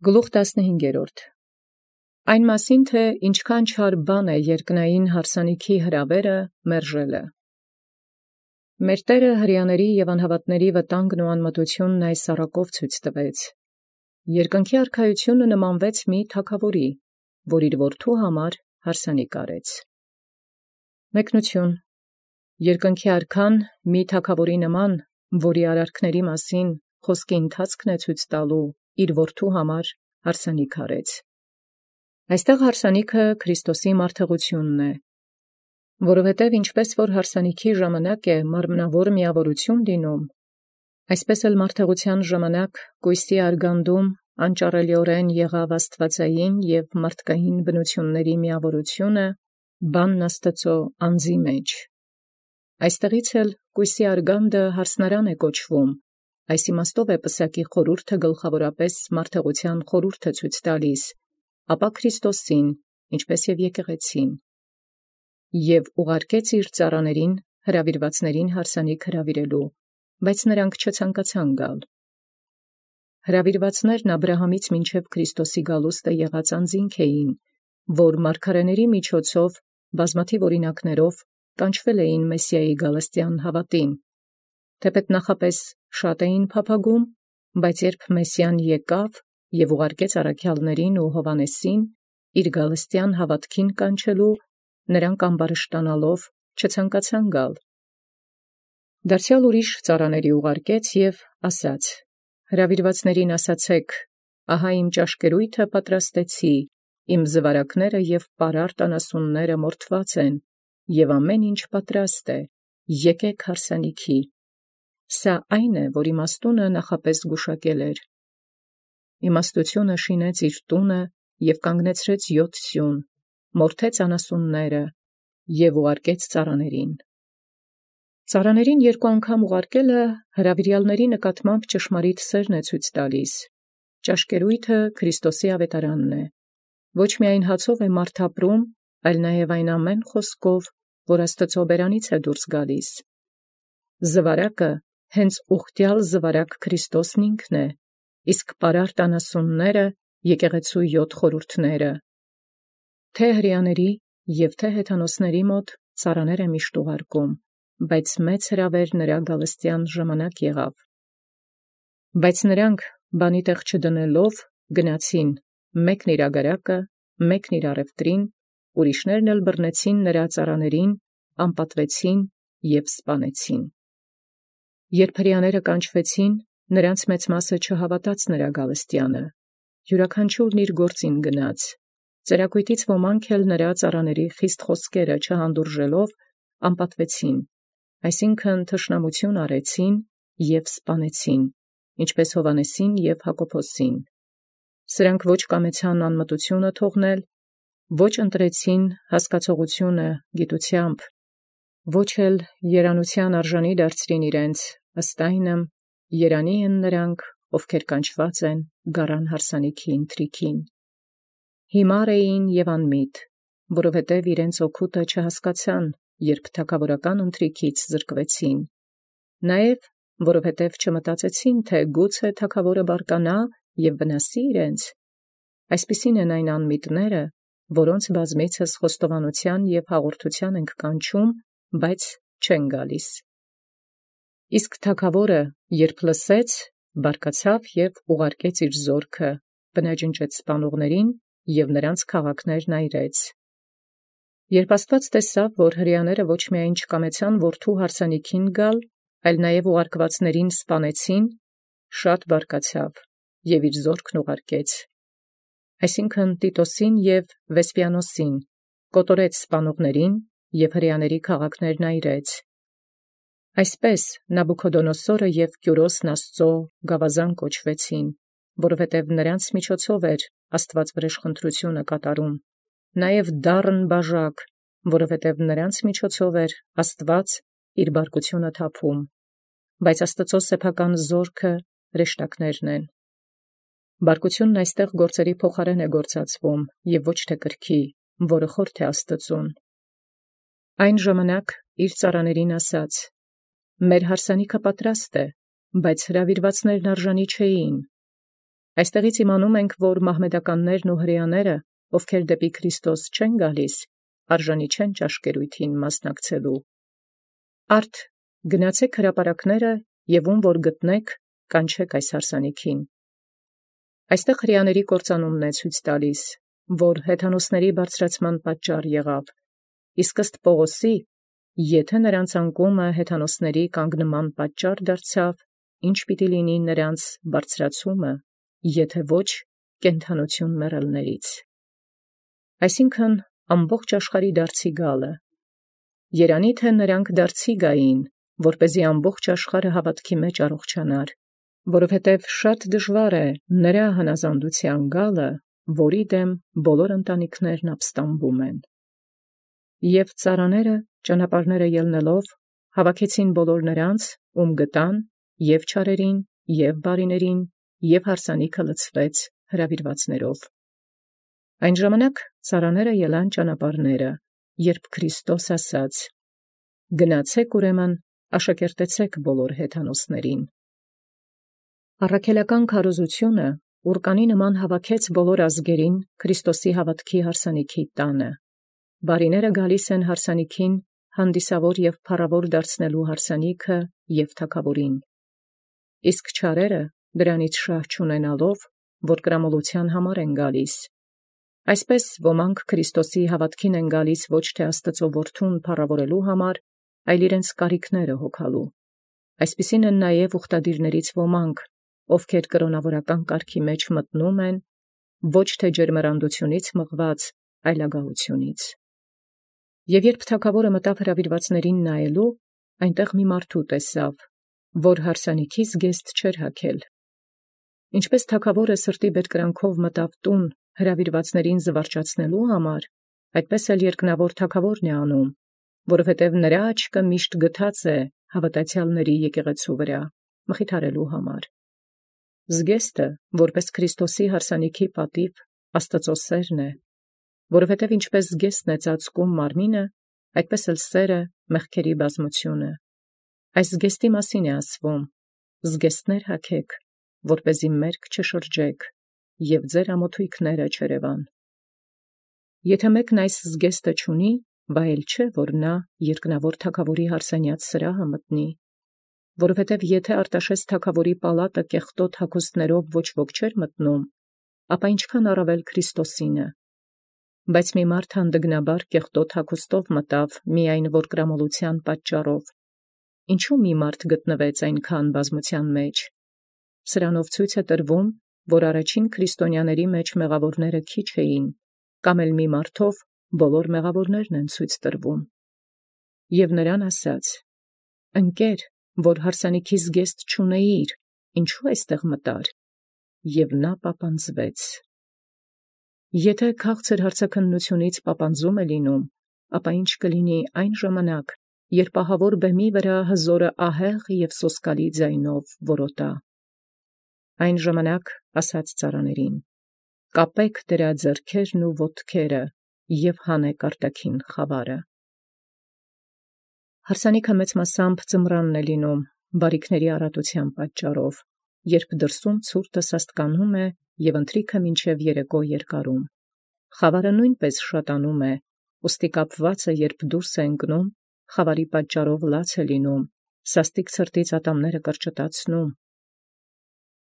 Գլուխ 15 Այն մասին թե ինչքան չար բան է երկնային հարսանիքի հրավերը մերժելը։ Մեր Տէրը հրեաների և անհավատների վտանգն ու անմտութիւնն այս առակով ցույց տվեց. երկնքի արքայությունը նմանվեց մի թագաւորի, որ իր որդու համար հարսանիք արեց։ Մեկնություն. Երկնքի արքան մի թագաւորի նման, որի արարքների մասին խոսքի ընթացքն է ցույց տալու, իր որդու համար հարսանիք արեց։ Այստեղ հարսանիքը Քրիստոսի մարդեղությունն է, որովհետև ինչպես որ հարսանիքի ժամանակ է մարմնավոր միավորություն լինում, այսպես էլ մարդեղության ժամանակ կույսի արգանդում անճարելիորեն եղավ աստվածային և մարդկային բնությունների միավորությունը բանն Աստծո անձի մեջ։ Այստեղից էլ կույսի արգանդը հարսնարան է կոչվում, այս իմաստով է պսակի խորհուրդը գլխավորապես մարդեղության խորհուրդը ցույց տալիս, ապա Քրիստոսին, ինչպես և եկեղեցին, և ուղարկեց իր ծառաներին հրավիրվածներին հարսանիք հրավիրելու, բայց նրանք չցանկացան գալ։ Հրավիրվածներն Աբրահամից մինչև Քրիստոսի գալուստը եղած անձինք էին, որ մարգարեների միջոցով բազմաթիվ օրինակներով կանչվել էին Մեսիայի գալստյան հավատին, թեպետ նախապես շատ էին փափագում, բայց երբ Մեսիան եկավ և ուղարկեց առաքյալներին ու Հովհաննեսին իր գալստյան հավատքին կանչելու, նրանք ամբարշտանալով չցանկացան գալ։ Դարձեալ ուրիշ ծառաների ուղարկեց և ասաց. հրավիրվածներին ասացեք, ահա իմ ճաշկերույթը պատրաստեցի, իմ զվարակները և պարարտ անասունները մորթված են, և ամեն ինչ պատրաստ է, եկեք հարսանիքի։ Սա այն է, որ իմաստունը նախապես գուշակել էր։ Իմաստությունը շինեց իր տունը և կանգնեցրեց 7 սյուն, մորթեց անասունները և ուղարկեց ծառաներին։ Ծառաներին երկու անգամ ուղարկելը հրավիրյալների նկատմամբ ճշմարիտ սերն է ցույց տալիս։ Ճաշկերույթը Քրիստոսի ավետարանն է։ Ոչ միայն հացով է մարդ ապրում, այլ նաև այն ամեն խոսքով, որ Աստծո բերանից է դուրս գալիս։ Զվարակը հենց ուխտյալ զվարակ Քրիստոսն ինքն է, իսկ պարարտ անասունները եկեղեցու 7 խորհուրդները։ Թե հրեաների և թե հեթանոսների մոտ ծառաներ է միշտ ուղարկում, բայց մեծ հրավեր նրա գալստյան ժամանակ եղավ։ Բայց նրանք բանի տեղ չդնելով գնացին, մեկն իր ագարակը, մեկն իր առևտրին, ուրիշներն էլ բռնեցին նրա ծառաներին, անպատվեցին և սպանեցին։ Երբ հրեաները կանչվեցին, նրանց մեծ մասը չհավատաց նրա գալստյանը, յուրաքանչյուրն իր գործին գնաց, ծերակույտից ոմանք էլ նրա ծառաների խիստ խոսքերը չհանդուրժելով անպատվեցին, այսինքն թշնամություն արեցին և սպանեցին, ինչպես Հովհաննեսին և Հակոբոսին։ Սրանք ոչ կամեցան անմտությունը թողնել, ոչ ընտրեցին հասկացողությունը գիտությամբ, ոչ էլ երանության արժանի դարձրին իրենց, ըստ այնմ երանի են նրանք, ովքեր կանչված են գառան հարսանիքի ընթրիքին։ Հիմար էին և անմիտ, որովհետև իրենց օգուտը չհասկացան, երբ թագավորական ընթրիքից զրկվեցին, նաև որովհետև չմտածեցին, թե գուցե թագավորը բարկանա և վնասի իրենց։ Այսպիսին են այն անմիտները, որոնց բազմիցս խոստովանության և հաղորդության ենք կանչում, բայց չեն գալիս։ Իսկ թագավորը, երբ լսեց, բարկացավ և ուղարկեց իր զորքը, բնաջնջեց սպանողներին և նրանց քաղաքներն այրեց։ Երբ Աստված տեսավ, որ հրեաները ոչ միայն չկամեցան որդու հարսանիքին գալ, այլ նաև ուղարկվածներին սպանեցին, շատ բարկացավ և իր զորքն ուղարկեց, այսինքն Տիտոսին և Վեսպիանոսին, կոտորեց սպանողներին և հրեաների քաղաքներն այրեց։ Այսպես Նաբուքոդոնոսորը և Կյուրոսն Աստծո գավազան կոչվեցին, որովհետև նրանց միջոցով էր Աստված վրեժխնդրությունը կատարում, նաև դառն բաժակ, որովհետև նրանց միջոցով էր Աստված իր բարկությունը թափում, բայց Աստծո սեփական զորքը հրեշտակներն են։ Բարկությունն այստեղ գործերի փոխարեն է գործածվում և ոչ թե կրքի, որը խորթ է Աստծուն։ Այն ժամանակ իր ծառաներին ասաց. մեր հարսանիքը պատրաստ է, բայց հրավիրվածներն արժանի չէին։ Այստեղից իմանում ենք, որ մահմեդականներն ու հրեաները, ովքեր դեպի Քրիստոս չեն գալիս, արժանի չեն ճաշկերույթին մասնակցելու։ Արդ գնացեք հրապարակները եւ ում որ գտնեք, կանչեք այս հարսանիքին։ Այստեղ հրեաների կործանումն է ցույց տալիս, որ հեթանոսների բարձրացման պատճառ եղավ, իսկ ըստ Պողոսի, եթե նրանց անկումը հեթանոսների կանգնման պատճառ դարձավ, ինչ պիտի լինի նրանց բարձրացումը, եթե ոչ կենդանություն մեռելներից։ Այսինքն ամբողջ աշխարհի դարձի գալը։ Երանի թե նրանք դարձի գային, որպեսզի ամբողջ աշխարհը հավատքի մեջ առողջանար, որովհետև շատ դժվար է նրա հնազանդության գալը, որի դեմ բոլոր ընտանիքներն ապստամբում են։ Եվ ծառաները ճանապարհները ելնելով հավաքեցին բոլոր նրանց, ում գտան, եւ չարերին, եւ բարիներին, եւ հարսանիքը լցվեց հրավիրվածներով։ Այն ժամանակ ծառաները ելան ճանապարհները, երբ Քրիստոս ասաց. «Գնացեք ուրեմն, աշակերտեցեք բոլոր հեթանոսներին»։ Առաքելական քարոզությունը ուրկանի նման հավաքեց բոլոր ազգերին Քրիստոսի հավատքի հարսանիքի տանը։ Բարիները գալիս են հարսանիքին հանդիսավոր եւ փառավոր դարձնելու հարսանիքը եւ թագավորին։ Իսկ չարերը դրանից շահ չունենալով, որ կրամոլության համար են գալիս։ Այսպես ոմանք Քրիստոսի հավատքին են գալիս ոչ թե Աստծո որդուն փառավորելու համար, այլ իրենց կարիքները հոգալու։ Այսպիսին են նաև ուխտադիրներից ոմանք, ովքեր կրոնավորական կարգի մեջ մտնում են, ոչ թե ջերմեռանդությունից մղված, այլ ագահությունից։ Եվ երբ թագավորը մտավ հրավիրվածներին նայելու, այնտեղ մի մարդու տեսավ, որ հարսանիքի զգեստ չէր հագել։ Ինչպես թագավորը սրտի բերկրանքով մտավ տուն հրավիրվածներին զվարճացնելու համար, այդպես էլ երկնավոր թագավորն է անում, որովհետև նրա աչքը միշտ գթած է հավատացյալների եկեղեցու վրա, մխիթարելու համար։ Զգեստը, որպես Քրիստոսի հարսանիքի պատիվ, Աստծո սերն է, որովհետև ինչպես զգեստն է ծածկում մարմինը, այդպես էլ սերը մեղքերի բազմությունը։ Այս զգեստի մասին է ասվում. զգեստներ հագեք, որպեսզի մերկ չշրջեք, և ձեր ամոթույքները չերևան։ Եթե մեկն այս զգեստը չունի, վայել չէ, որ նա երկնավոր թագավորի հարսանյաց սրահը մտնի, որովհետև եթե Արտաշես թագավորի պալատը կեղտոտ հագուստներով ոչ ոք չէր մտնում, ապա ինչքան առավել Քրիստոսինը։ Բայց մի մարդ հանդգնաբար կեղտոտ հագուստով մտավ միայն որ կրամոլության պատճառով։ Ինչու մի մարդ գտնվեց այնքան բազմության մեջ։ Սրանով ցույց է տրվում, որ առաջին քրիստոնյաների մեջ մեղավորները քիչ էին, կամ էլ մի մարդով բոլոր մեղավորներն են ցույց տրվում։ Եվ նրան ասաց. ընկեր, որ հարսանիքի զգեստ չունեիր, ինչու այստեղ մտար։ Եվ նա պապանձվեց։ Եթե քաղցր հարցաքննությունից պապանձում է լինում, ապա ինչ կլինի այն ժամանակ, երբ ահավոր բեմի վրա հզորը ահեղ և սոսկալի ձայնով որոտա։ Այն ժամանակ ասաց ծառաներին. կապեք դրա ձեռքերն ու ոտքերը և հանեք արտաքին խավարը։ Հարսանիքը մեծ մասամբ ձմռանն է լինում, բարիքների առատության պատճառով, երբ դրսում ցուրտը սաստկանում է և ընթրիքը մինչև երեկո երկարում։ Խավարը նույնպես շատանում է, ուստի կապվածը երբ դուրս է ընկնում, խավարի պատճառով լաց է լինում, սաստիկ ցրտից ատամները կրճտացնում։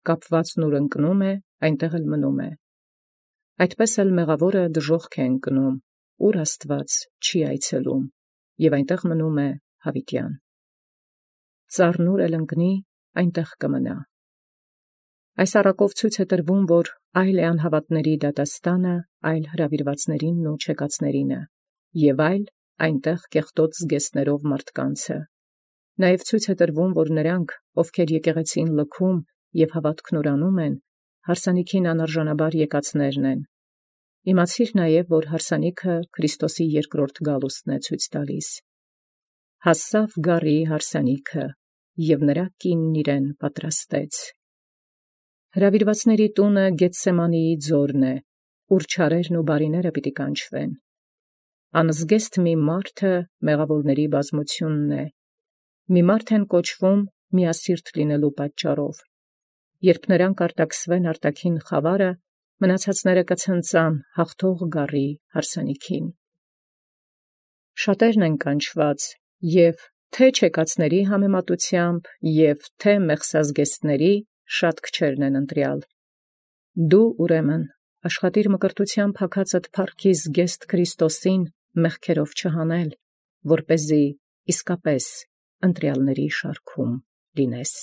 Կապվածն ուր ընկնում է, այնտեղ էլ մնում է։ Այդպես էլ մեղավորը դժոխք է ընկնում, ուր Աստված չի այցելում, և այնտեղ մնում է հավիտյան։ Ծառն ուր էլ ընկնի, այնտեղ կմնա։ Այս առակով ցույց է տրվում, որ այլ է անհավատների դատաստանը, այլ հրավիրվածներինն ու չեկածներինը, և այլ այնտեղ կեղտոտ զգեստներով մարդկանցը։ Նաև ցույց է տրվում, որ նրանք, ովքեր եկեղեցին լքում և հավատքն ուրանում են, հարսանիքին անարժանաբար եկածներն են։ Իմացիր նաև, որ հարսանիքը Քրիստոսի երկրորդ գալուստն է ցույց տալիս։ Հասավ գառի հարսանիքը, և նրա կինն իրեն պատրաստեց։ Հրավիրվածների տունը Գեթսեմանիի ձորն է, ուր չարերն ու բարիները պիտի կանչվեն։ Անզգեստ մի մարդը մեղավորների բազմությունն է։ Մի մարդ են կոչվում միասիրտ լինելու պատճառով։ երբ նրանք արտաքսվեն արտաքին խավարը, մնացածները կցնծան հաղթող գառի հարսանիքին։ Շատերն են կանչված, և թե չեկացների համեմատությամբ, և թե մեղսազգեստների շատ քչերն են ընտրյալ։ Դու ուրեմն աշխատիր մկրտութեամբ փակածդ փառքի զգեստ Քրիստոսին մեղքերով չհանել, որպեսզի իսկապես ընտրյալների շարքում լինես։